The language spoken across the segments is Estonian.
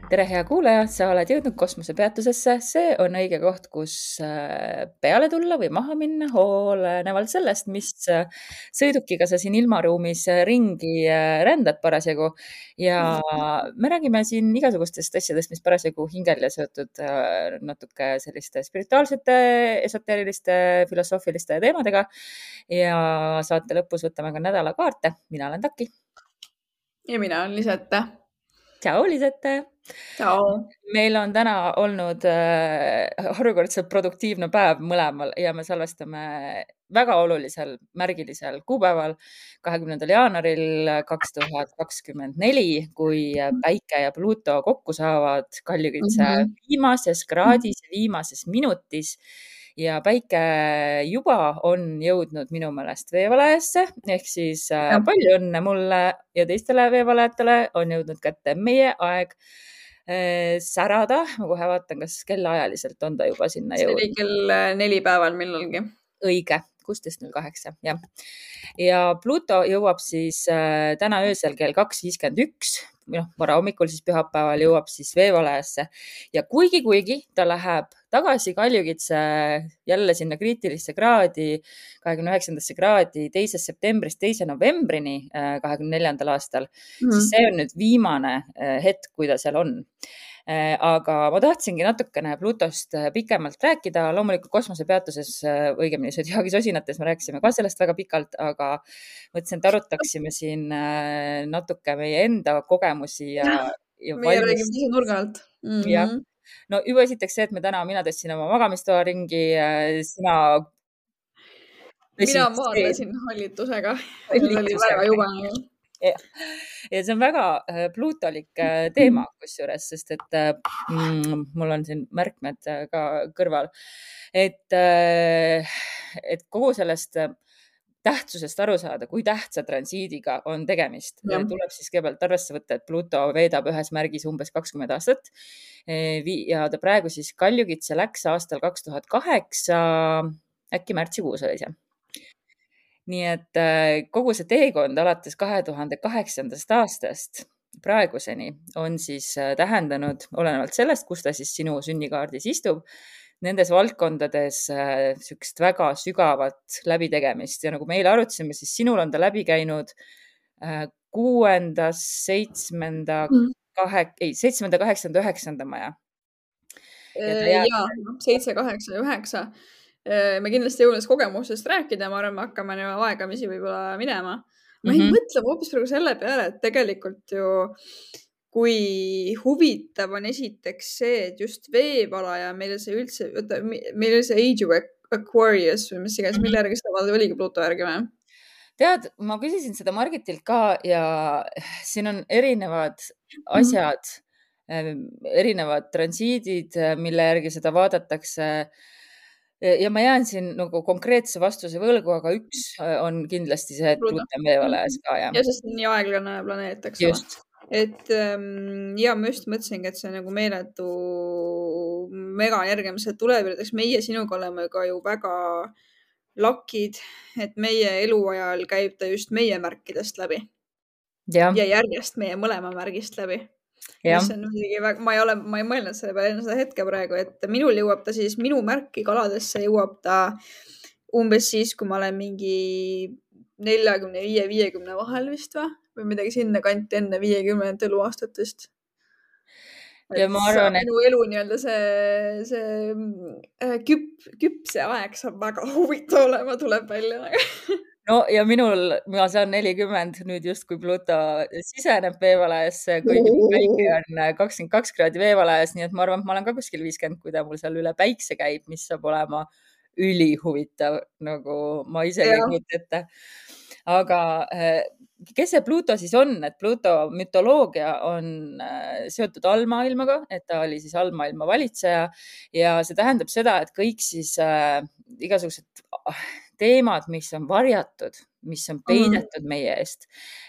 Tere, hea kuulaja, sa oled jõudnud kosmosepeatusesse. See on õige koht, kus peale tulla või maha minna, olenevalt sellest, mis sõidukiga sa siin ilmaruumis ringi rändad parasjagu. Ja me räägime siin igasugustest asjadest, mis parasjagu hingel ja seotud natuke selliste spirituaalsete, esoteeriliste, filosoofiliste teemadega. Ja saate lõpus võtame ka nädalakaarte. Mina olen Taki. Ja mina olen Lisette. Tšau, Lisette! Tšau! Meil on täna olnud harukordselt produktiivne päev mõlemal ja me salvestame väga olulisel märgilisel kuupäeval 20. jaanuaril 2024, kui Päike ja Pluto kokku saavad Kaljukitse viimases kraadis, viimases minutis. Ja Päike juba on jõudnud minu meelest veevalajasse, ehk siis palju õnne mulle ja teistele veevalajatele on jõudnud kätte meie aeg särada. Ma kohe vaatan, kas kellaajaliselt on ta juba sinna jõudnud. See oli kell 4 päeval millalgi. Õige, 16.08, jah. Ja Pluto jõuab siis täna öösel kell 2.51, vara hommikul siis pühapäeval jõuab siis veevalajasse. Ja kuigi ta läheb tagasi Kaljukitse jälle sinna kriitilisse kraadi, 29. kraadi 2. septembrist 2. novembrini 24. aastal, siis see on nüüd viimane hetk, kui ta seal on. Aga ma tahtsingi natukene Plutost pikemalt rääkida. Loomulikult kosmosepeatuses, õigemini Zodiaagis osinates me rääkisime ka sellest väga pikalt, aga mõtlesin, et arutaksime siin natuke meie enda kogemusi ja meie räägime ise nurga alt. Jah. No juba esiteks see, et mina tõstsin oma magamistoa ringi, mina maadlesin hallitusega. See oli väga jubane. Ja see on väga pluutolik teema kusjuures, sest et mul on siin märkmed ka kõrval, et kogu sellest tähtsusest aru saada, kui tähtsa transiidiga on tegemist. Tuleb siis kõigepealt arvesse võtta, et Pluto veedab ühes märgis umbes 20 aastat ja ta praegu siis Kaljukitse läks aastal 2008, äkki märtsikuus oli see. Nii et kogu see teekond alates 2008. aastast praeguseni on siis tähendanud, olenevalt sellest, kus ta siis sinu sünnikaardis istub, nendes valdkondades sükst väga sügavat läbitegemist. Ja nagu meil arutasime, siis sinul on ta läbi käinud 6., 7., 8., 9. maja. Jaa, 7, 8 ja 9. Me kindlasti jõuame kogemusest rääkida, ma arvan, me hakkame aegamisi võib-olla minema. Ma ei mõtle hoopis praegu selle peale, et tegelikult ju kui huvitav on esiteks see, et just veevalaja meile see üldse, meil oli see Age of Aquarius või mis iganes, mille järgi seda vaadata oligi Pluto järgi või? Tead, ma küsisin seda Margitilt ka ja siin on erinevad asjad, erinevad transiidid, mille järgi seda vaadatakse. Ja ma jään siin nagu konkreetse vastuse võlgu, aga üks on kindlasti see, et Pluto on veevalajas ka. Ja sest on nii aeglane planeet, eks ole. Et ja ma just mõtlesingi, et see on nagu meeletu megaenergia, mis tuleb. Meie sinuga oleme ka ju väga lakid, et meie eluajal käib ta just meie märkidest läbi. Ja järjest meie mõlema märgist läbi. Ma ei mõelnud selle peale enne seda hetke praegu, et minul jõuab ta siis, minu märki kaladesse jõuab ta umbes siis, kui ma olen mingi 45-50 vahel vist või midagi sinna kanti enne 50 eluaastatest. Ja ma arvan, et minu elu nii-öelda see küpse aeg saab väga huvitav olema, tuleb välja. No ja ma saan 40 nüüd just, kui Pluto siseneb veevalajasse, kuigi Päike on 22 kraadi veevalajas, nii et ma arvan, et ma olen ka kuskil 50, kui ta mul seal üle päikse käib, mis saab olema ülihuvitav, nagu ma ise ei kujuta ette. aga kes see Pluto siis on, et Pluto mütoloogia on seotud allmaailmaga, et ta oli siis allmaailma valitseja ja see tähendab seda, et kõik siis igasugused teemad, mis on varjatud, mis on peidetud meie eest,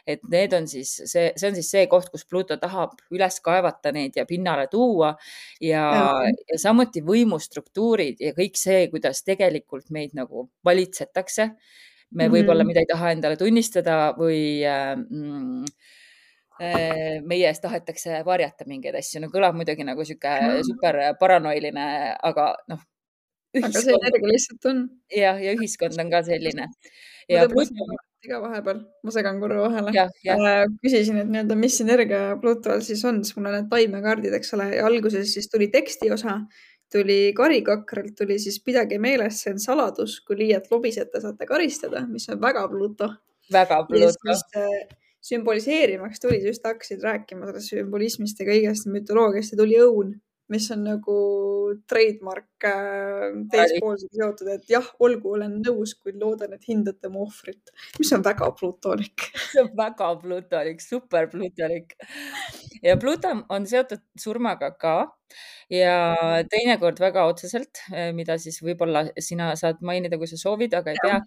et need on siis see on siis see koht, kus Pluto tahab üles kaevata neid ja pinnale tuua ja samuti võimustruktuurid ja kõik see, kuidas tegelikult meid nagu valitsetakse. Me võib-olla, mida ei taha endale tunnistada või meie eest tahetakse varjata mingeid asju. No kõlab muidugi nagu sihuke super paranoiline, aga noh. Aga see energia lihtsalt on. Ja ühiskond on ka selline. Ma tõmbasin ka vahepeal, ma segan korra vahele. Küsisin, et nii-öelda, mis energia Plutol siis on, siis mul on need taimekaardid, eks ole, ja alguses siis tuli teksti osa, tuli karikakralt, tuli siis pidage meeles, see on saladus, kui liialt lobisete saate karistada, mis on väga Pluto. Väga Pluto. Sümboliseerimaks tuli, just hakkasid rääkima sellest sümbolismist ja kõigest mütoloogiast ja tuli õun, mis on nagu trademark teispoolsega seotud, et jah, olgu, olen nõus, kuid loodan, et hindate mu ohvrit, mis on väga plutolik. See on väga plutolik, super plutolik. Ja Pluto on seotud surmaga ka ja teinekord väga otseselt, mida siis võib-olla sina saad mainida, kui sa soovid, aga ei pea.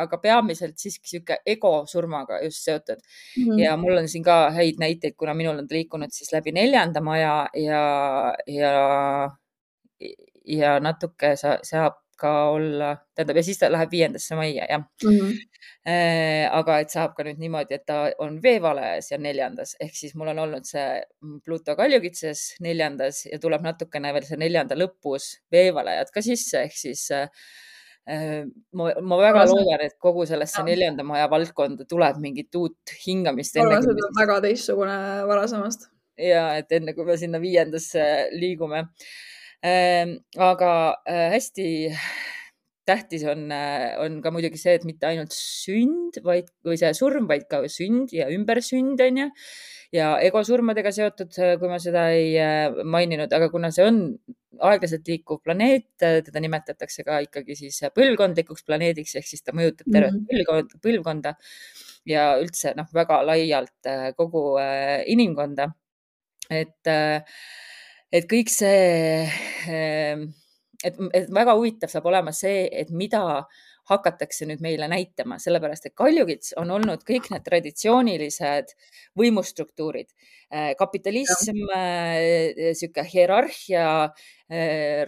Aga peamiselt siiski sihuke ego surmaga just seotud. Ja mul on siin ka häid näiteid, kuna minul on liikunud siis läbi 4. maja ja natuke saab ka olla, tähendab, ja siis ta läheb 5. majja, jah. Aga et saab ka nüüd niimoodi, et ta on veevalajas ja 4. ehk siis mul on olnud see Pluto Kaljukitses 4. ja tuleb natukene veel see 4. lõpus veevalajad ka sisse, ehk siis ma väga loodan, et kogu sellesse 4. maja valdkonda tuleb mingit uut hingamist. See on väga teistsugune varasemast. Ja et enne, kui me sinna 5. liigume. Aga hästi tähtis on ka muidugi see, et mitte ainult sünd või see surm, vaid ka sünd ja ümbersünd on ju. Ja egosurmadega seotud, kui ma seda ei maininud, aga kuna see on aeglaselt liikuv planeet, teda nimetatakse ka ikkagi siis põlvkondlikuks planeediks, ehk siis ta mõjutab tervet põlvkonda ja üldse väga laialt kogu inimkonda. Et kõik see, et väga huvitav saab olema see, et mida hakatakse nüüd meile näitama, sellepärast et Kaljukits on olnud kõik need traditsioonilised võimustruktuurid, kapitalism, sihuke hierarhia,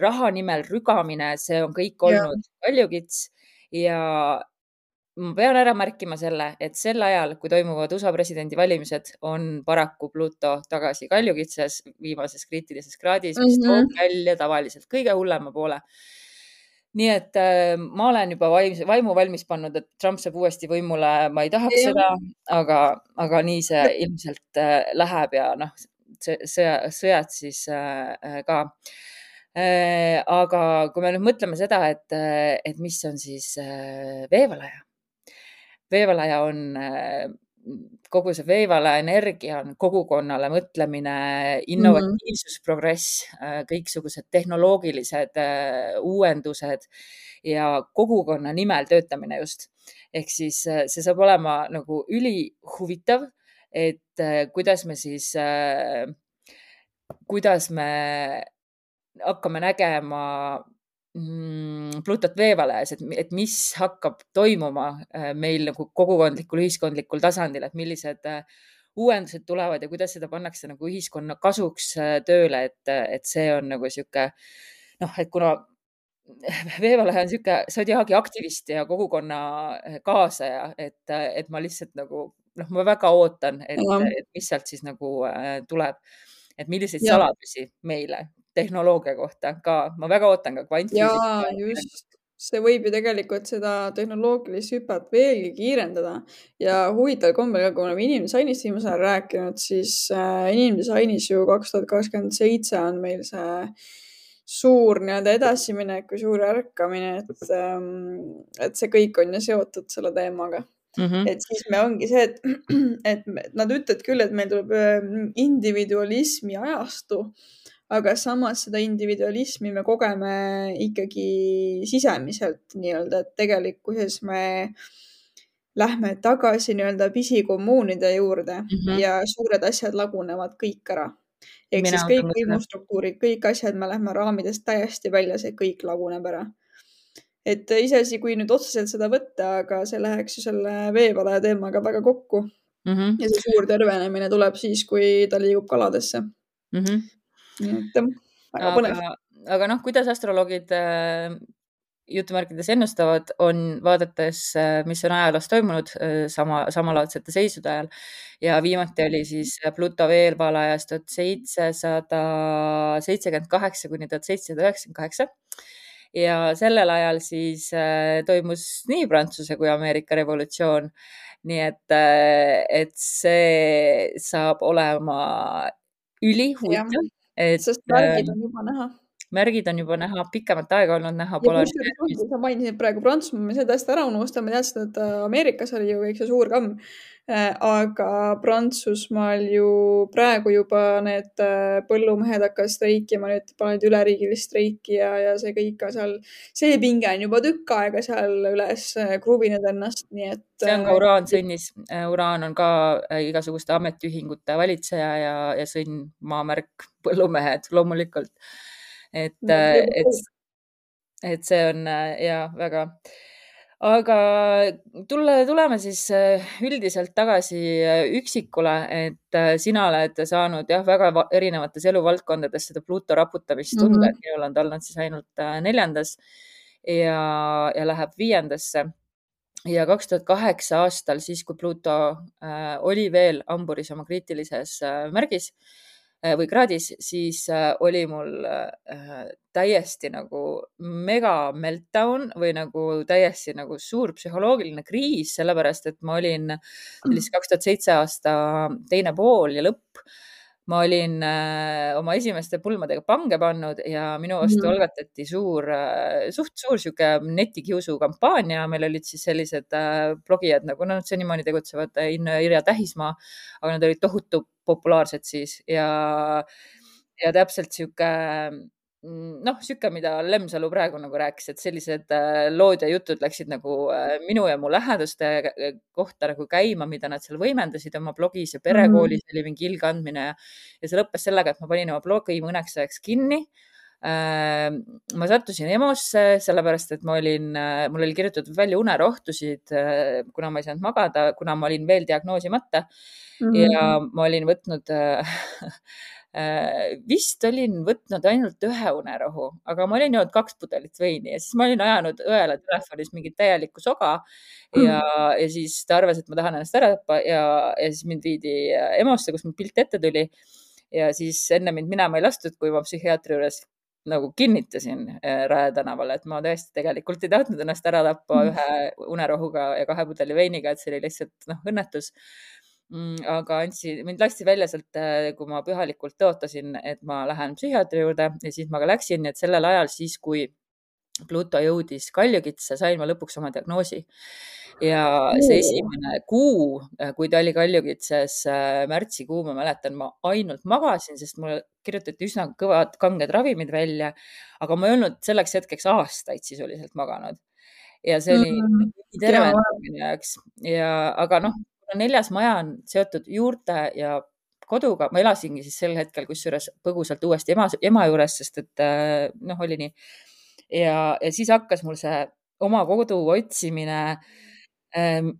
raha nimel rügamine, see on kõik olnud Kaljukits ja ma pean ära märkima selle, et sel ajal, kui toimuvad USA presidendivalimised, on paraku Pluto tagasi Kaljukitses viimases kriitilises kraadis, mis toob välja tavaliselt kõige hullema poole. Nii et ma olen juba vaimu valmis pannud, et Trump saab uuesti võimule, ma ei tahaks seda, aga nii see ilmselt läheb ja sõjad siis ka. Aga kui me nüüd mõtleme seda, et mis on siis veevalaja. Veevalaja on kogu see veevalaja energia on kogukonnale mõtlemine, innovatiivsus, progress, kõiksugused tehnoloogilised uuendused ja kogukonna nimel töötamine just. Ehk siis see saab olema nagu ülihuvitav, et kuidas me hakkame nägema Plutot veevalajas, et mis hakkab toimuma meil nagu kogukondlikul, ühiskondlikul tasandil, et millised uuendused tulevad ja kuidas seda pannakse nagu ühiskonna kasuks tööle, et see on nagu sihuke, et kuna veevalaja on sihuke sodiaagi aktivist ja kogukonna kaasaja, et ma lihtsalt nagu, ma väga ootan, et mis sealt siis nagu tuleb, et milliseid saladusi meile tehnoloogia kohta ka, ma väga ootan ka kvantfüüsika. Ja just, see võib ju tegelikult seda tehnoloogilist hüpet veelgi kiirendada ja huvitav kombel, kui oleme inimdesignist viimasel ajal rääkinud, siis inimdesainis ju 2027 on meil see suur nii-öelda edasiminek või suur ärkamine, et see kõik on ju seotud selle teemaga. Et siis me ongi see, et nad ütlevad küll, et meil tuleb individualismi ajastu, aga samas seda individualismi me kogeme ikkagi sisemiselt nii-öelda, et tegelikkuses me lähme tagasi nii-öelda pisikommuunide juurde ja suured asjad lagunevad kõik ära. Ehk Mina siis kõik usun ka seda. võimustruktuurid, kõik asjad, me lähme raamidest täiesti välja, see kõik laguneb ära. Et iseasi, kui nüüd otseselt seda võtta, aga see läheks ju selle veevalaja teemaga väga kokku. Ja see suur tervenemine tuleb siis, kui ta liigub kaladesse. Nii et väga põnev. Aga noh, kuidas astroloogid jutumärkides ennustavad, on vaadates, mis on ajaloos toimunud samalaadsete seisude ajal. Ja viimati oli siis Pluto veevalajas 1778 kuni 1798. Ja sellel ajal siis toimus nii Prantsuse kui Ameerika revolutsioon. Nii et see saab olema ülihuvitav. Sest märgid on juba näha. Märgid on juba näha, pikemat aega olnud näha. Sa mainisid praegu Prantsusmaa, me seda hästi ära unustame, teadsid, et Ameerikas oli ju kõik see suur kamm. Aga Prantsusmaal ju praegu juba need põllumehed hakkas streikima, nüüd panid üleriigilist streiki ja see kõik ka seal, see pinge on juba tükk aega seal üles kruvinud ennast, nii et. See on ka Uraan sõnnis. Uraan on ka igasuguste ametiühingute valitseja ja sõnn, maamärk, põllumehed loomulikult. Et see on väga. Aga tuleme siis üldiselt tagasi üksikule, et sina oled saanud väga erinevates eluvaldkondades seda Pluto raputamist tunda, et minul on olnud siis ainult 4. ja läheb 5. Ja 2008 aastal, siis kui Pluto oli veel hamburis oma kriitilises märgis või kraadis, siis oli mul täiesti nagu mega meltdown või nagu täiesti nagu suur psühholoogiline kriis, sellepärast et ma olin 2007 aasta teine pool ja lõpp. Ma olin oma esimeste pulmadega pange pannud ja minu vastu algatati suht suur sihuke netikiusu kampaania. Meil olid siis sellised blogijad, nagu nad senimaani tegutsevad, Inno ja Irja Tähismaa, aga nad olid tohutu populaarsed siis ja täpselt sihuke, mida Lemsalu praegu nagu rääkis, et sellised lood ja jutud läksid nagu minu ja mu lähedaste kohta nagu käima, mida nad seal võimendasid oma blogis ja perekoolis oli mingi ilgandmine ja see lõppes sellega, et ma panin oma blogi mõneks ajaks kinni. Ma sattusin EMO-sse, sellepärast, et mul oli kirjutatud välja unerohtusid, kuna ma ei saanud magada, kuna ma olin veel diagnoosimata ja ma olin võtnud vist olin võtnud ainult 1 unerohu, aga ma olin joonud 2 pudelit veini ja siis ma olin ajanud õele telefonis mingit täielikku soga ja siis ta arvas, et ma tahan ennast ära tappa ja siis mind viidi EMO-sse, kus mul pilt ette tuli ja siis enne mind minema ei lastud, kui ma psühhiaatri juures nagu kinnitasin Rae tänaval, et ma tõesti tegelikult ei tahtnud ennast ära tappa 1 unerohuga ja 2 pudeli veiniga, et see oli lihtsalt õnnetus. Aga mind lasti välja sealt, kui ma pühalikult tõotasin, et ma lähen psühhiaatri juurde ja siis ma ka läksin, et sellel ajal siis, kui Pluto jõudis Kaljukitse, sain ma lõpuks oma diagnoosi. Ja see esimene kuu, kui ta oli Kaljukitses, märtsikuu, ma mäletan, ma ainult magasin, sest mulle kirjutati üsna kõvad kanged ravimid välja, aga ma ei olnud selleks hetkeks aastaid sisuliselt maganud. Ja see oli terve minu jaoks. Aga 4. maja on seotud juurte ja koduga. Ma elasingi siis sel hetkel kusjuures põgusalt uuesti ema juures, sest et oli nii. Ja siis hakkas mul see oma kodu otsimine,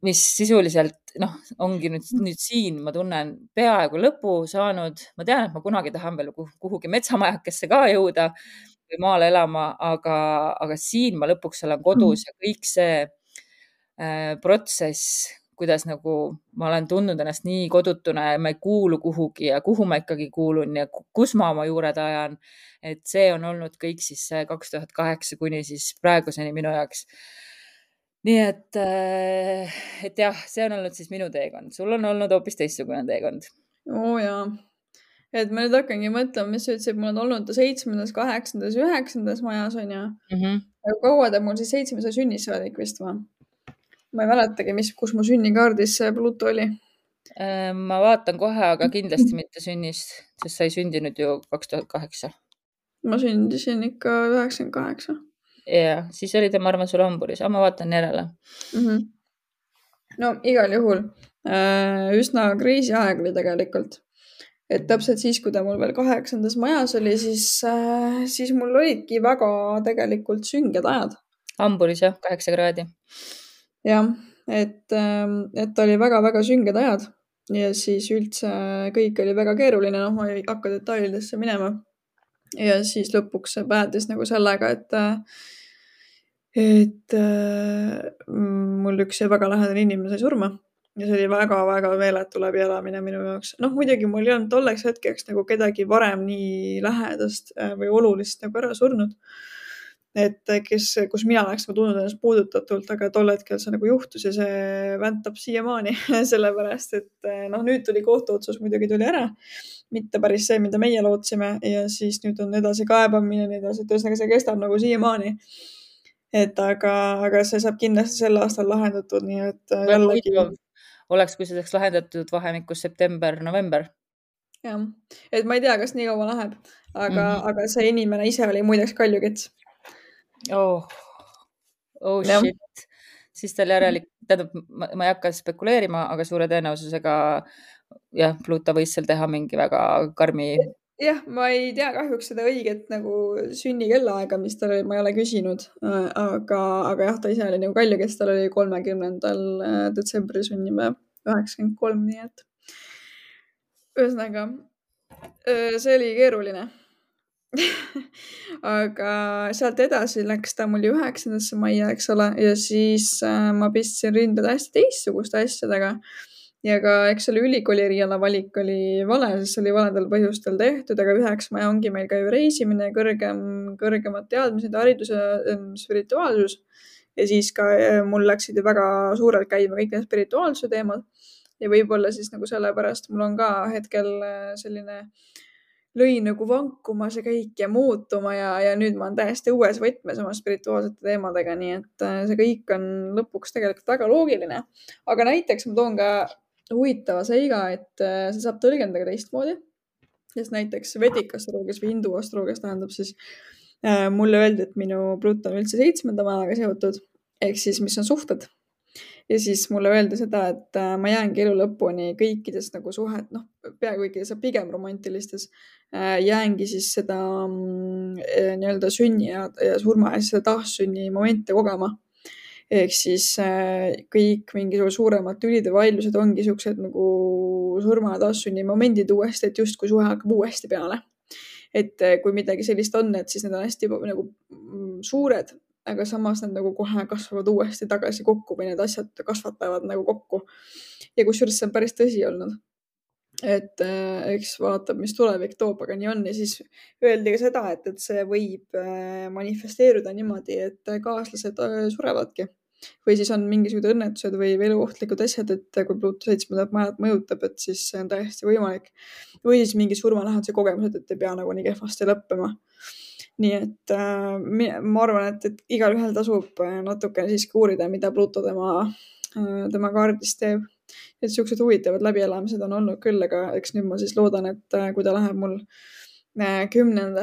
mis sisuliselt ongi nüüd siin, ma tunnen peaaegu lõpu saanud. Ma tean, et ma kunagi tahan veel kuhugi metsamajakesse ka jõuda või maale elama, aga siin ma lõpuks olen kodus ja kõik see protsess, kuidas nagu ma olen tundnud ennast nii kodutuna ja ma ei kuulu kuhugi ja kuhu ma ikkagi kuulun ja kus ma oma juured ajan. Et see on olnud kõik siis 2008 kuni siis praeguseni minu jaoks. Nii et jah, see on olnud siis minu teekond. Sul on olnud hoopis teistsugune teekond. Jaa. Et ma nüüd hakkangi mõtlema, mis sa ütlesid, mul on olnud 7., 8., 9. majas on ju. Aga kaua ta mul siis 7. sünnis saadik vist või? Ma ei mäletagi, kus mu sünnikaardis see Pluto oli. Ma vaatan kohe, aga kindlasti mitte sünnist, sest sa ei sündinud ju 2008. Ma sündisin ikka 98. Ja siis oli ta, ma arvan, sul hamburis, aga ma vaatan järele. No igal juhul üsna crazy aeg oli tegelikult. Et täpselt siis, kui ta mul veel 8. majas oli, siis mul olidki väga tegelikult sünged ajad. Hamburis jah, 8 kraadi. Jah, et oli väga-väga sünged ajad ja siis üldse kõik oli väga keeruline, noh, ma ei hakka detailidesse minema. Ja siis lõpuks see päädis nagu sellega, et mul üks väga lähedane inimene sai surma ja see oli väga-väga meeletu läbielamine minu jaoks. Noh, muidugi mul ei olnud tolleks hetkeks nagu kedagi varem nii lähedast või olulist nagu ära surnud. Et kus mina oleks tundnud ennast puudutatult, aga tol hetkel see nagu juhtus ja see väntab siiamaani sellepärast, et noh, nüüd tuli kohtuotsus muidugi tuli ära. Mitte päris see, mida meie lootsime ja siis nüüd on edasi kaebamine ja nii edasi, et ühesõnaga see kestab nagu siiamaani. Et aga see saab kindlasti sel aastal lahendatud, nii et jällegi. Oleks, kui see saaks lahendatud vahemikus september-november. Jah, et ma ei tea, kas nii kaua läheb, aga see inimene ise oli muideks kaljukits. Oh shit. Siis tal tähendab, ma ei hakka spekuleerima, aga suure tõenäosusega jah, Pluto võis seal teha mingi väga karmi. Jah, ma ei tea kahjuks seda õiget nagu sünnikellaaega, mis tal oli, ma ei ole küsinud, aga jah, ta ise oli nagu kaljukits, tal oli 30. detsembri sünnipäev 93, nii et ühesõnaga see oli keeruline. aga sealt edasi läks ta mul 9. majja, eks ole, ja siis ma pistsin rinda täiesti teistsuguste asjadega. Ja ka, eks selle ülikooli eriala valik oli vale, sest see oli valedel põhjustel tehtud, aga 9. maja ongi meil ka ju reisimine, kõrgemad teadmised, haridus ja spirituaalsus. Ja siis ka mul läksid ju väga suurelt käima kõik need spirituaalsuse teemad. Ja võib-olla siis nagu sellepärast mul on ka hetkel selline lõi nagu vankuma see kõik ja muutuma ja nüüd ma olen täiesti uues võtmes oma spirituaalsete teemadega, nii et see kõik on lõpuks tegelikult väga loogiline. Aga näiteks ma toon ka huvitava seiga, et see saab tõlgendada teistmoodi. Sest näiteks vedikastroloogias või hindu astroloogias tähendab siis mulle öeldi, et minu Pluto on üldse 7. majaga seotud, ehk siis mis on suhted. Ja siis mulle öeldi seda, et ma jäängi elu lõpuni kõikides nagu suhet, noh, peaaegu kõikides, pigem romantilistes, jäängi siis seda nii-öelda sünni ja surma ja seda taassünni momente kogema. Ehk siis kõik mingisugused suuremad tülid ja vaidlused ongi siuksed nagu surma ja taassünni momendid uuesti, et justkui suhe hakkab uuesti peale. Et kui midagi sellist on, et siis need on hästi nagu suured, aga samas nad nagu kohe kasvavad uuesti tagasi kokku või need asjad kasvatavad nagu kokku. Ja kusjuures see on päris tõsi olnud. Et eks vaatab, mis tulevik toob, aga nii on. Ja siis öeldi ka seda, et see võib manifesteeruda niimoodi, et kaaslased surevadki. Või siis on mingisugused õnnetused või eluohtlikud asjad, et kui Pluto 7. majad mõjutab, et siis see on täiesti võimalik. Või siis mingi surmaläheduse kogemused, et ei pea nagu nii kehvasti lõppema. Nii et ma arvan, et igalühel tasub natuke siiski uurida, mida Pluto tema kaardis teeb. Et siuksed huvitavad läbielamised on olnud küll, aga eks nüüd ma siis loodan, et kui ta läheb mul 10.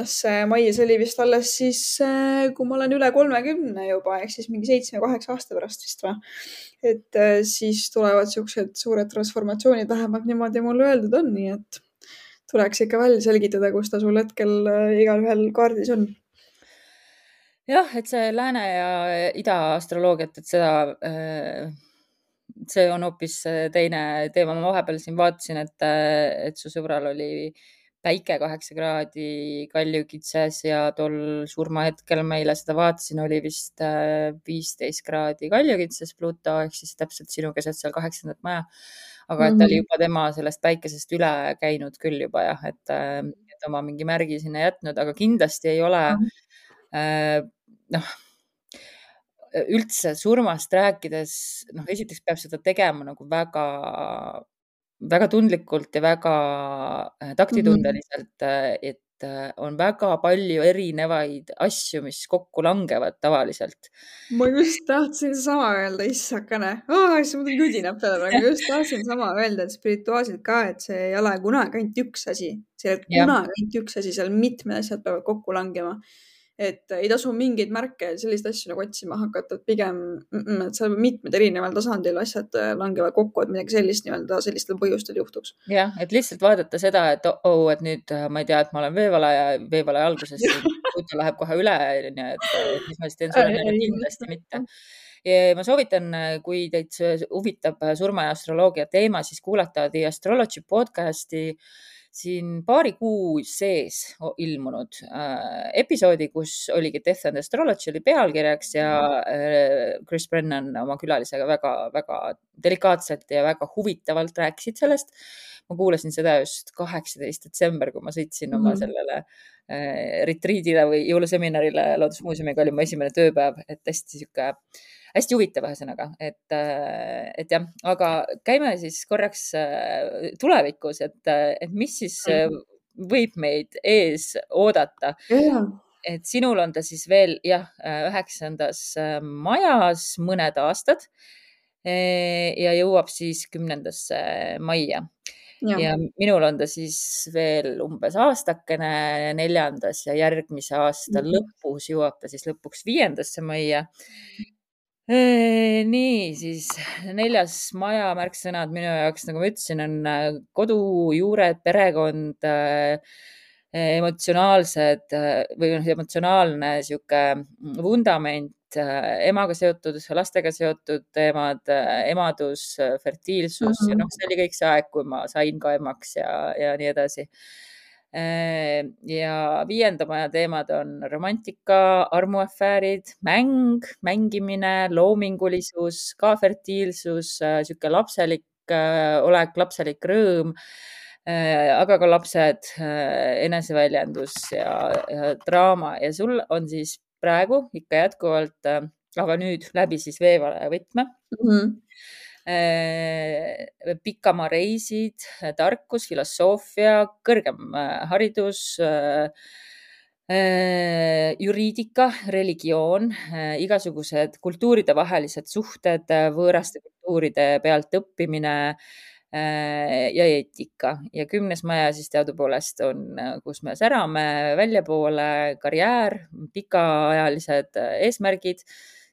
mai, see oli vist alles siis, kui ma olen üle 30 juba, ehk siis mingi 7-8 aasta pärast vist või. Et siis tulevad siuksed suured transformatsioonid, vähemalt niimoodi mulle öeldud on, nii et tuleks ikka välja selgitada, kus ta sul hetkel igalühel kaardis on. Jah, et see lääne ja ida astroloogiat, et seda, see on hoopis teine teema. Ma vahepeal siin vaatasin, et su sõbral oli päike 8 kraadi kaljukitses ja tol surmahetkel meile seda vaatasin, oli vist 15 kraadi kaljukitses Pluto, ehk siis täpselt sinu keset seal 8. maja. Aga et ta oli juba tema sellest päikesest üle käinud küll juba jah, et oma mingi märgi sinna jätnud, aga kindlasti ei ole noh, üldse surmast rääkides, noh, esiteks peab seda tegema nagu väga, väga tundlikult ja väga taktitundeliselt, et on väga palju erinevaid asju, mis kokku langevad tavaliselt. Ma just tahtsin sama öelda, issakene. Siis mul tuli judinab peale praegu. Ma just tahtsin sama öelda, et spirituaalselt ka, et see ei ole kunagi ainult üks asi. See ei ole kunagi ainult üks asi, seal mitmed asjad peavad kokku langema. Et ei tasu mingeid märke, selliseid asju nagu otsima hakata, et pigem, et seal mitmed erineval tasandil asjad langevad kokku, et midagi sellist nii-öelda sellistel põhjustel juhtuks. Jah, et lihtsalt vaadata seda, et et nüüd ma ei tea, et ma olen veevalaja alguses, Pluto läheb kohe üle, et mis ma siis teen sulle, kindlasti mitte. Ja ma soovitan, kui teid huvitab surma ja astroloogia teema, siis kuulata The Astrology podcasti siin paari kuu sees ilmunud episoodi, kus oligi Death and Astrology oli pealkirjaks ja Chris Brennan oma külalisega väga delikaatselt ja väga huvitavalt rääkisid sellest. Ma kuulasin seda just 18. detsember, kui ma sõitsin oma sellele retriidile või jõuluseminarile Loodusmuuseumiga, oli mu esimene tööpäev, et hästi huvitav ühesõnaga, et jah, aga käime siis korraks tulevikus, et mis siis võib meid ees oodata. Et sinul on ta siis veel 9. majas mõned aastad ja jõuab siis 10. maia. Ja minul on ta siis veel umbes aastakene 4. ja järgmise aasta lõpus jõuab ta siis lõpuks 5. maia. Nii, siis 4. maja märksõnad minu jaoks, nagu ma ütlesin, on kodu, juured, perekond, emotsionaalsed või emotsionaalne sihuke vundament, emaga seotud, lastega seotud teemad, emadus, fertiilsus ja see oli kõik see aeg, kui ma sain ka emaks ja nii edasi. Ja 5. maja teemad on romantika, armuafäärid, mängimine, loomingulisus, ka fertiilsus, sihuke lapselik olek, lapselik rõõm, aga ka lapsed, eneseväljendus ja draama ja sul on siis praegu ikka jätkuvalt, aga nüüd läbi siis veevalaja võtme. Pikamaa reisid, tarkus, filosoofia, kõrgem haridus, juriidika, religioon, igasugused kultuuridevahelised suhted, võõraste kultuuride pealt õppimine ja eetika. Ja 10. maja siis teadupoolest on, kus me särame väljapoole, karjäär, pikaajalised eesmärgid,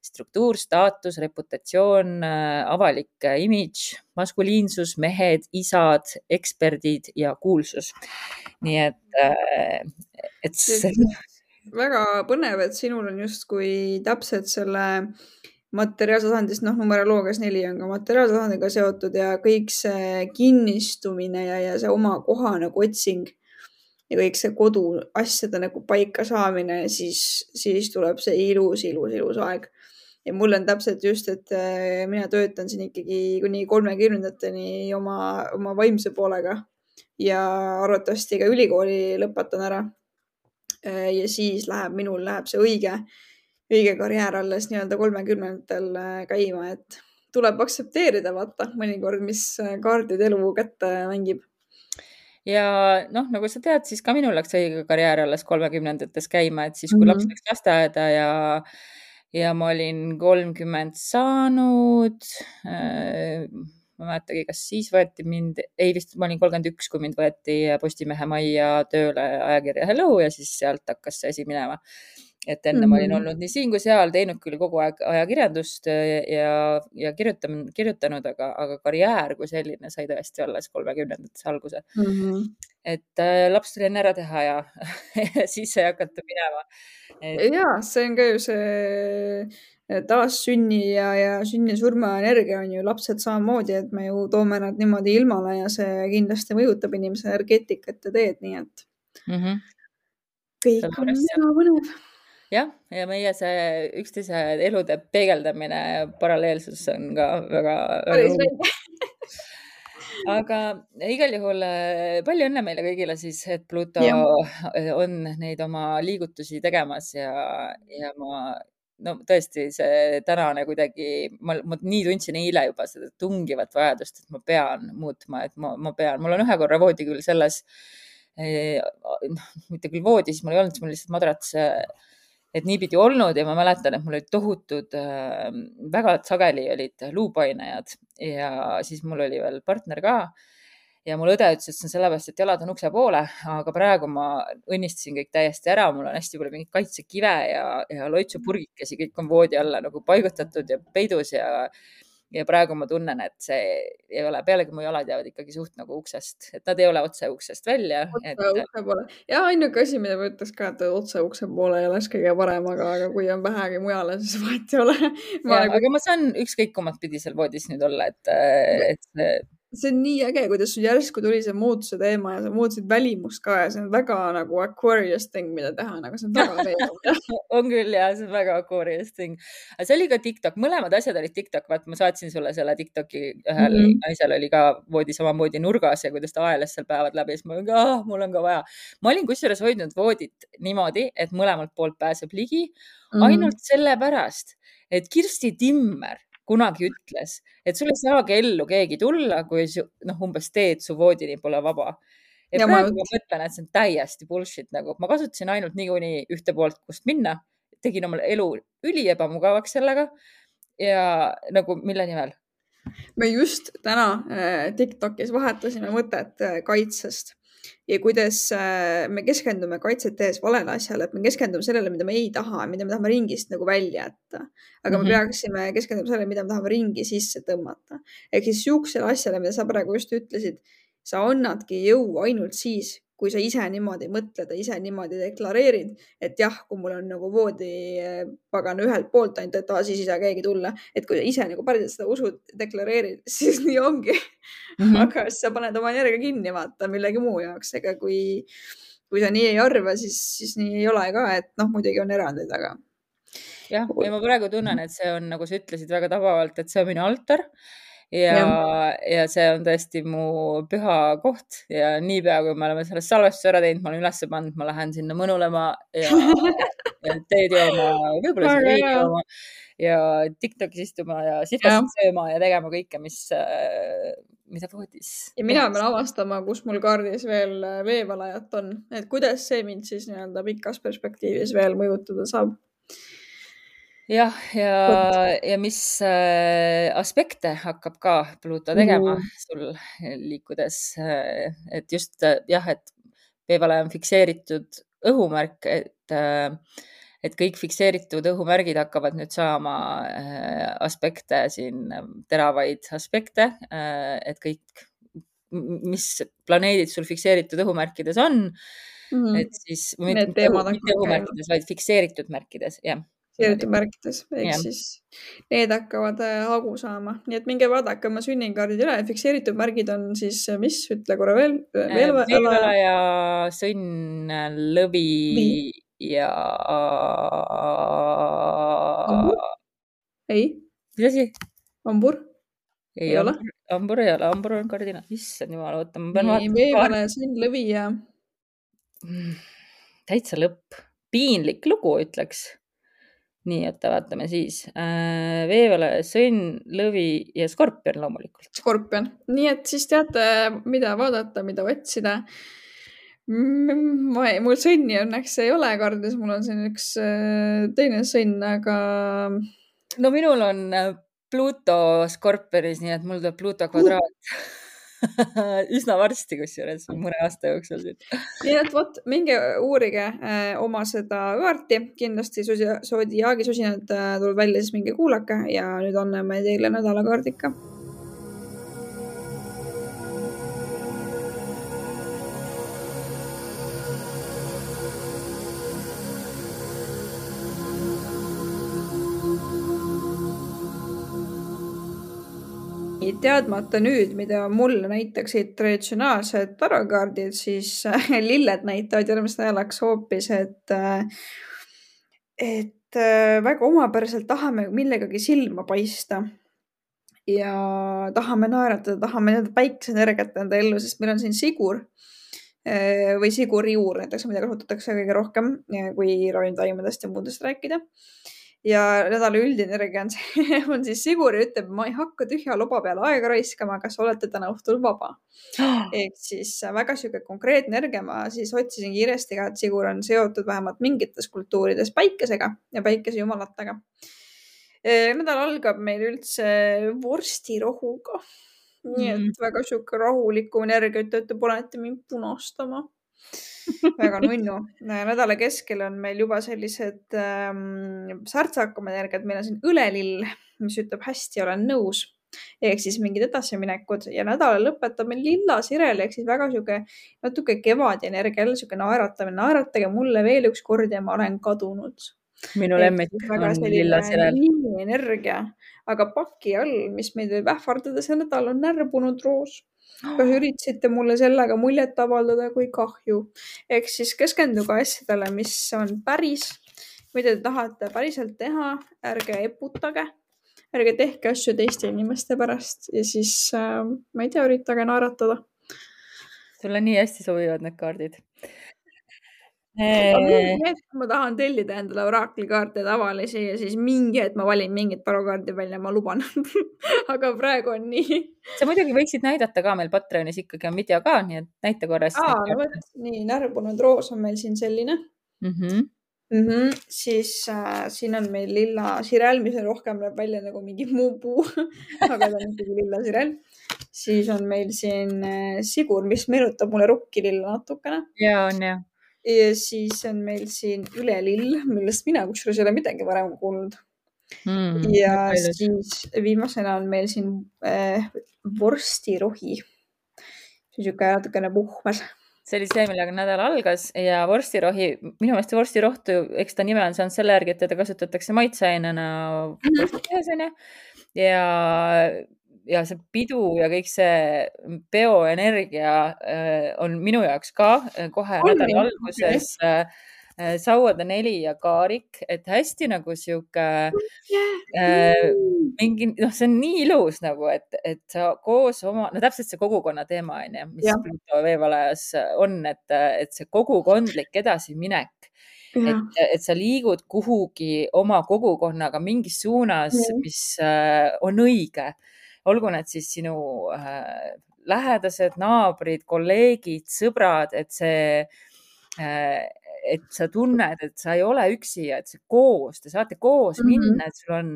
struktuur, staatus, reputatsioon, avalik imidž, maskuliinsus, mehed, isad, eksperdid ja kuulsus. Nii et väga põnev, et sinul on justkui täpselt selle materiaaltasandist, numeroloogias 4 on ka materiaaltasandiga seotud ja kõik see kinnistumine ja see oma koha nagu otsing ja kõik see kodu asjade nagu paika saamine ja siis tuleb see ilus aeg. Ja mul on täpselt just, et mina töötan siin ikkagi kuni 30-ndateni oma vaimse poolega ja arvatavasti ka ülikooli lõpetan ära. Ja siis minul läheb see õige karjäär alles nii-öelda 30-ndatel käima, et tuleb aktsepteerida, vaata mõnikord, mis kaardid elu kätte mängib. Ja nagu sa tead, siis ka minul läks õige karjäär alles 30-ndates käima, et siis kui laps läks lasteaeda ja ma olin 30 saanud, ma mäletagi, kas siis võeti mind, ei vist ma olin 31, kui mind võeti Postimehe majja tööle ajakirja Hello ja siis sealt hakkas see asi minema. Et enne ma olin olnud nii siin kui seal, teinud küll kogu aeg ajakirjandust ja kirjutanud, aga karjäär kui selline sai tõesti alles 30-ndates alguse. Et laps tuli enne ära teha ja siis sai hakata minema. Ja, see on ka ju see taassünni ja sünni surma energia on ju lapsed samamoodi, et me ju toome nad niimoodi ilmale ja see kindlasti mõjutab inimese energeetikat ja teed, nii et kõik on väga põnev. Jah, ja meie see üksteise elude peegeldamine paralleelsus on ka väga aga igal juhul palju õnne meile kõigile siis, et Pluto on neid oma liigutusi tegemas ja ma tõesti see tänane kuidagi, ma nii tundsin eile juba seda tungivat vajadust, et ma pean muutma, et ma pean, mul on ühe korra voodi küll selles mitte küll voodis, mul ei olnud, mul lihtsalt madrats, et niipidi olnud ja ma mäletan, et mul olid tohutud, väga sageli olid luupainajad ja siis mul oli veel partner ka. Ja mul õde ütles, et see on sellepärast, et jalad on ukse poole, aga praegu ma õnnistasin kõik täiesti ära. Mul on hästi palju mingit kaitsekive ja loitsupurgikesi, kõik on voodi alla nagu paigutatud ja peidus ja praegu ma tunnen, et see ei ole, pealegi mu jalad jäävad ikkagi suht nagu uksest, et nad ei ole otse uksest välja. Otse ukse poole. Ja ainuke asi, mida ma ütleks ka, et otse ukse poole ei oleks kõige parem, aga kui on vähegi mujale, siis vahet ei ole. Aga ma saan ükskõik kummat pidi seal voodis nüüd olla, et see on nii äge, kuidas sul järsku tuli see muutuse teema ja sa muutusid välimust ka ja see on väga nagu Aquarius thing, mida teha, aga see on väga meeldiv. on küll ja see on väga Aquarius thing. Aga see oli ka TikTok, mõlemad asjad olid TikTok, vaat ma saatsin sulle selle TikToki, ühel naisel oli ka voodi samamoodi nurgas ja kuidas ta aelas seal päevad läbi, siis mul on ka vaja. Ma olin kusjuures hoidnud voodit niimoodi, et mõlemalt poolt pääseb ligi, ainult sellepärast, et Kirsti Timmer kunagi ütles, et sul ei saagi ellu keegi tulla, kui umbes teed su voodini pole vaba. Ja praegu ma mõtlen, et see on täiesti bullshit. Nagu. Ma kasutasin ainult niikuinii ühte poolt, kust minna. Tegin omale elu üli ebamugavaks sellega ja nagu mille nimel? Me just täna TikTokis vahetasime mõtet kaitsest ja kuidas me keskendume kaitset tehes valele asjale, et me keskendume sellele, mida me ei taha, mida me tahame ringist nagu välja jätta. Aga me peaksime keskenduma sellele, mida me tahame ringi sisse tõmmata. Ehk siis siuksele asjale, mida sa praegu just ütlesid, sa annadki jõu ainult siis, kui sa ise niimoodi mõtled ja ise niimoodi deklareerid, et jah, kui mul on nagu voodipagan ühelt poolt ainult, et siis ei saa keegi tulla. Et kui sa ise nagu päriselt seda usud, deklareerid, siis nii ongi. Aga siis sa paned oma energia kinni, vaata millegi muu jaoks. Ega kui sa nii ei arva, siis nii ei ole ka, et muidugi on erandid, aga. Jah, ja ma praegu tunnen, et see on, nagu sa ütlesid väga tabavalt, et see on minu altar. Ja see on tõesti mu püha koht ja niipea, kui me oleme sellest salvestuse ära teinud, ma olen üles pannud, ma lähen sinna mõnulema ja teed jooma, võib-olla siin veidi jooma ja TikTokis istuma ja sihvast sööma ja tegema kõike, mida voodis. Ja mina pean avastama, kus mul kaardis veel veevalajat on, et kuidas see mind siis nii-öelda pikas perspektiivis veel mõjutada saab. Jah, ja mis aspekte hakkab ka Pluto tegema sul liikudes, et just jah, et veevalaja on fikseeritud õhumärk, et kõik fikseeritud õhumärgid hakkavad nüüd saama aspekte siin, teravaid aspekte, et kõik, mis planeedid sul fikseeritud õhumärkides on, et siis mitte õhumärkides, vaid fikseeritud märkides, jah. Fikseeritud märkides, ehk siis need hakkavad hagu saama. Nii et minge vaadake oma sünnikaardid üle. Fikseeritud märgid on siis, mis? Ütle korra veel. Veevalaja, sõnn, lõvi ja... Ambur? Ei. Mis asi? Ambur? Ei ole. Ambur ei ole. Ambur on kardina. Issand jumal, oota. Veevalaja, sõnn, lõvi ja... Täitsa lõpp. Piinlik lugu, ütleks. Nii, et vaatame siis. Veevalaja, sõnn, lõvi ja skorpion loomulikult. Skorpion. Nii, et siis teate, mida vaadata, mida otsida. Mul sõnni õnneks ei ole kardis, mul on siin üks teine sõnn, aga... No minul on Pluto skorpionis, nii et mul tuleb Pluto kvadraat. Üsna varsti, kusjuures mõne aasta jooksul. Nii et võt, minge uurige oma seda kaarti. Kindlasti Zodiaagi susinad tuleb välja, siis minge kuulake ja nüüd anname teile nädalakaardika. Teadmata nüüd, mida mulle näitaksid traditsionaalsed tarokaardid, siis lilled näitavad järgmist nädalaks hoopis, et väga omapäraselt tahame millegagi silma paista ja tahame naeratada, tahame päikeseenergiat enda ellu, sest meil on siin sigur või siguriuur, näiteks mida kasutatakse kõige rohkem, kui ravimtaimedest ja muudest rääkida. ja nädala üldenergia on see, on siis Sigur ja ütleb, ma ei hakka tühja loba peale aega raiskama, kas olete täna õhtul vaba. Ehk siis väga sihuke konkreetne energia, ma siis otsisin kiiresti ka, et Sigur on seotud vähemalt mingites kultuurides päikesega ja päikesejumalatega. Nädal algab meil üldse vorstirohuga. Nii et väga sihuke rahuliku energia, ütlete, panete mind punastama. Väga nunnu. Nädala keskel on meil juba sellised särtsakamad energiat. Meil on siin õlelill, mis ütleb hästi, olen nõus. Ehk siis mingid edasiminekud ja nädala lõpetab meil lilla sirel, ehk siis väga sihuke natuke kevad energia, jälle sihuke naeratamine. Naeratage mulle veel üks kord ja ma olen kadunud. Minu lemmik on lilla sirel. Energia, aga paki all, mis meid võib ähvardada see nädal, on närbunud roos. Kas üritasite mulle sellega muljet avaldada, kui kahju? Ehk siis keskenduge asjadele, mis on päris, mida te tahate päriselt teha, ärge eputage, ärge tehke asju teiste inimeste pärast ja siis, ma ei tea, üritage naeratada. Sulle nii hästi sobivad need kaardid. Ma tahan tellida endale oraklikaarte tavalisi ja siis mingi hetk ma valin mingit tarokaardi välja, ma luban. Aga praegu on nii. Sa muidugi võiksid näidata ka, meil Patreonis ikkagi on video ka, nii et näita korras. Nii, närbunud roos on meil siin selline. Siis siin on meil lilla sirel, mis rohkem näeb välja nagu mingi muu puu, aga ta on ikkagi lilla sirel. Siis on meil siin Sigur, mis meenutab mulle rukkililla natukene. Ja on jah. Ja siis on meil siin ülelill, millest mina kusjuures ei ole midagi varem kuulnud. Ja siis viimasena on meil siin vorstirohi. See on siuke natukene puhmas. See oli see, millega nädal algas ja vorstirohi, minu meelest vorstirohtu, eks ta nime on saanud selle järgi, et teda kasutatakse maitseainena vorstipeas, on ju. Ja see pidu ja kõik see peoenergia on minu jaoks ka kohe nädala alguses sauade 4 ja kaarik, et hästi nagu sihuke mingi, see on nii ilus nagu, et sa koos oma, täpselt see kogukonna teema on ju, mis Pluto veevalajas on, et see kogukondlik edasiminek, et sa liigud kuhugi oma kogukonnaga mingis suunas, mis on õige. Olgu need siis sinu lähedased, naabrid, kolleegid, sõbrad, et sa tunned, et sa ei ole üksi ja et see koos, te saate koos minna, et sul on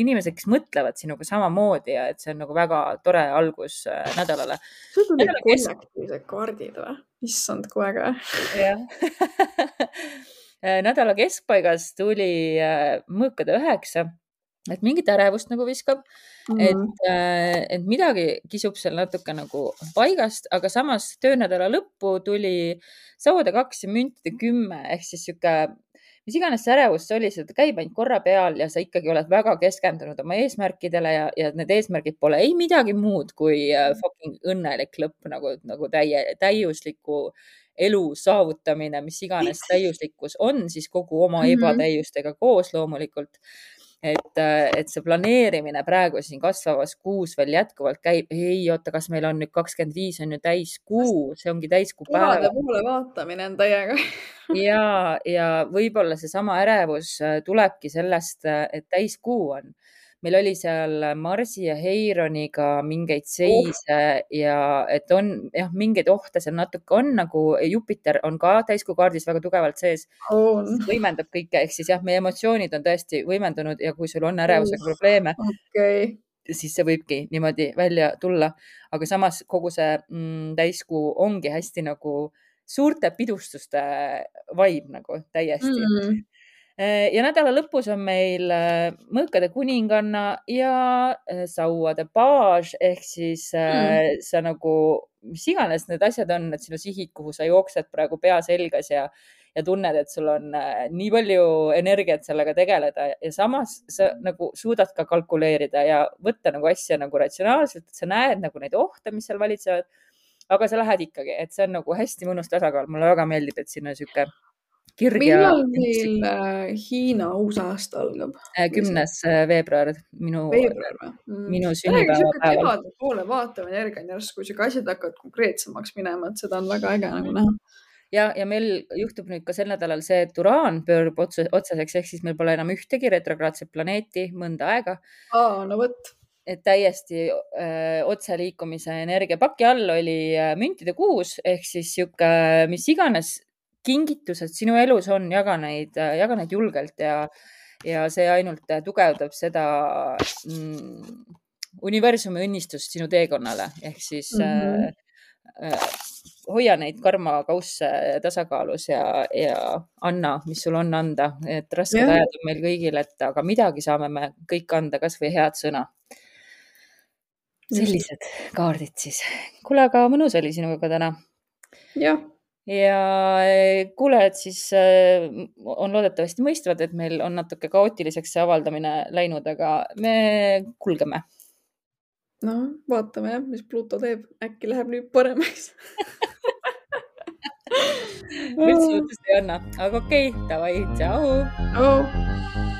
inimesed, kes mõtlevad sinuga samamoodi ja et see on nagu väga tore algus nädalale. Sul tuli kollektiivsed kaardid või? Issand, kui äge. Nädala keskpaigas tuli mõõkade 9, et mingit ärevust nagu viskab, et midagi kisub seal natuke nagu paigast, aga samas töönädala lõppu tuli sauade 2 ja müntide 10, ehk siis sihuke, mis iganes see ärevus oli, seda käib ainult korra peal ja sa ikkagi oled väga keskendunud oma eesmärkidele ja need eesmärgid pole ei midagi muud kui fucking õnnelik lõpp, nagu täiusliku elu saavutamine, mis iganes täiuslikkus on siis kogu oma ebatäiustega koos loomulikult. Et see planeerimine praegu siin kasvavas kuus veel jätkuvalt käib. Ei, oota, kas meil on nüüd 25 on ju täiskuu, see ongi täiskuu päeva. Kevade poole vaatamine on täiega. Ja võib-olla see sama ärevus tulebki sellest, et täiskuu on. Meil oli seal Marsi ja Heironiga mingeid seise ja et on mingeid ohte seal natuke on, nagu Jupiter on ka täiskuu kaardis väga tugevalt sees. Võimendab kõike, ehk siis meie emotsioonid on tõesti võimendunud ja kui sul on ärevusega probleeme, siis see võibki niimoodi välja tulla. Aga samas kogu see täiskuu ongi hästi nagu suurte pidustuste vibe nagu täiesti. Ja nädala lõpus on meil mõõkade kuninganna ja sauade paage, ehk siis sa nagu, mis iganes need asjad on, et sinu sihid, kuhu sa jooksed praegu pea selgas ja tunned, et sul on nii palju energiat sellega tegeleda ja samas sa nagu suudad ka kalkuleerida ja võtta nagu asja nagu ratsionaalselt, et sa näed nagu neid ohte, mis seal valitsevad, aga sa lähed ikkagi, et see on nagu hästi mõnus tasakaal. Mulle väga meeldib, et siin on sihuke kirg ja... Millal meil Hiina uus aasta algab? 10. veebruar, minu sünnipäeva päeval. Kevade poole vaatame energia järsku, kui asjad hakkavad konkreetsemaks minema, et seda on väga äge nagu näha. ja meil juhtub nüüd ka sel nädalal see, et Uraan pöörub otseseks, ehk siis meil pole enam ühtegi retrokraadset planeeti mõnda aega. No võt. Et täiesti otseliikumise energiapaki all oli müntide kuus ehk siis sihuke, mis iganes kingitused sinu elus on, jaga neid julgelt ja see ainult tugevdab seda universumi õnnistust sinu teekonnale ehk siis hoia neid karmakausse tasakaalus ja anna, mis sul on anda, et rasked ajad on meil kõigil, et aga midagi saame me kõik anda, kas või head sõna. Sellised kaardid siis. Kuule, aga mõnus oli sinuga täna. Jah. Ja kuulajad siis on loodetavasti mõistvad, et meil on natuke kaootiliseks see avaldamine läinud, aga me kulgeme. No, vaatame jah, mis Pluto teeb. Äkki läheb nüüd paremaks. Üldse jutust ei anna. Aga okei, davai, tšau! Tšau!